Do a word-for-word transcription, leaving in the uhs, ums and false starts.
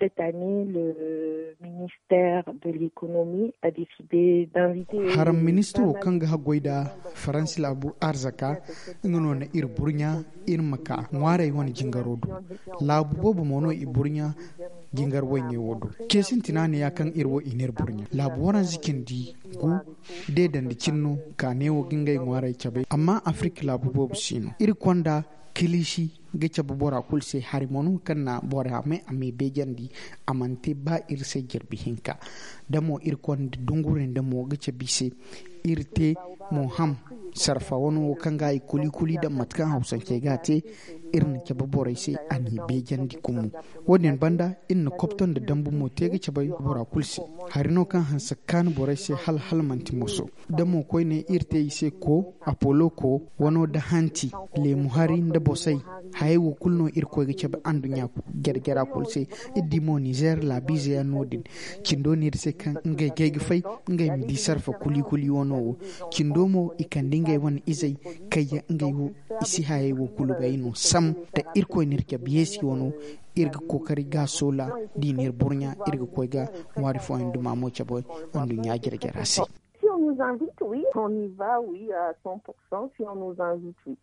Cette année, le ministère de l'économie a décidé d'inviter haram ministro kaŋ ga haggoy nda faransi laabu arzaka, nga no na iri burɲa iri ma ka ŋwaaray wane jingaro do. Laabu boobo mo no i burɲa jingar wayne wo do. Ceesintina ne ya kaŋ iri wo i n'iri burɲa laabu waranza cindi gu deedandi cine no ka ne wo ga ngey ŋwaaray cabe. Amma afirka laabu boobo si no iri konda kiliisi ga cabe bora kulu se hari mo no kaŋ na bora me a me beejandi. A mana te ba iri se jirbi hinka da mo iri konda dungure nda mo ga cabe i se. Iri te mo ham sarfa wano wo kaŋ ga i kuli kuli daŋ mate kaŋ hawsancey ga a te. Iri na cabe borey se a n'i beejandi kumo. Wo- din banda iri na kopto nda dambu mo te ga cabe bora kulu se. Hari no kaŋ hanse ga kaanu borey se hala hala manti moso da mo koyne iri te i se ko apolo ko wano nda hanti leemu hari nda bosay. Hayey wo kulu no irkoy ga cabe anduɲɲa jare-jara kulu se. Iri di mo nizeer laabiize yaŋ no- din. Cindo no iri se kaŋ ngey gay ga fay ngey ma di sarfa kuli kuli wano wo. Cindo mo i kande ngey wane izey kayya ngey wo i si hayey wo kulu bay no sam da irkoy n'iri cabe yeesi wano. Iri ga kookari ga soola da i n'iri burɲa iri ga koy ga ŋwaari fooyaŋ duma mo cabe anduɲɲa jare-jara se. Si on nous invite wi on y va wi à cent pour cent si on nous invite wi.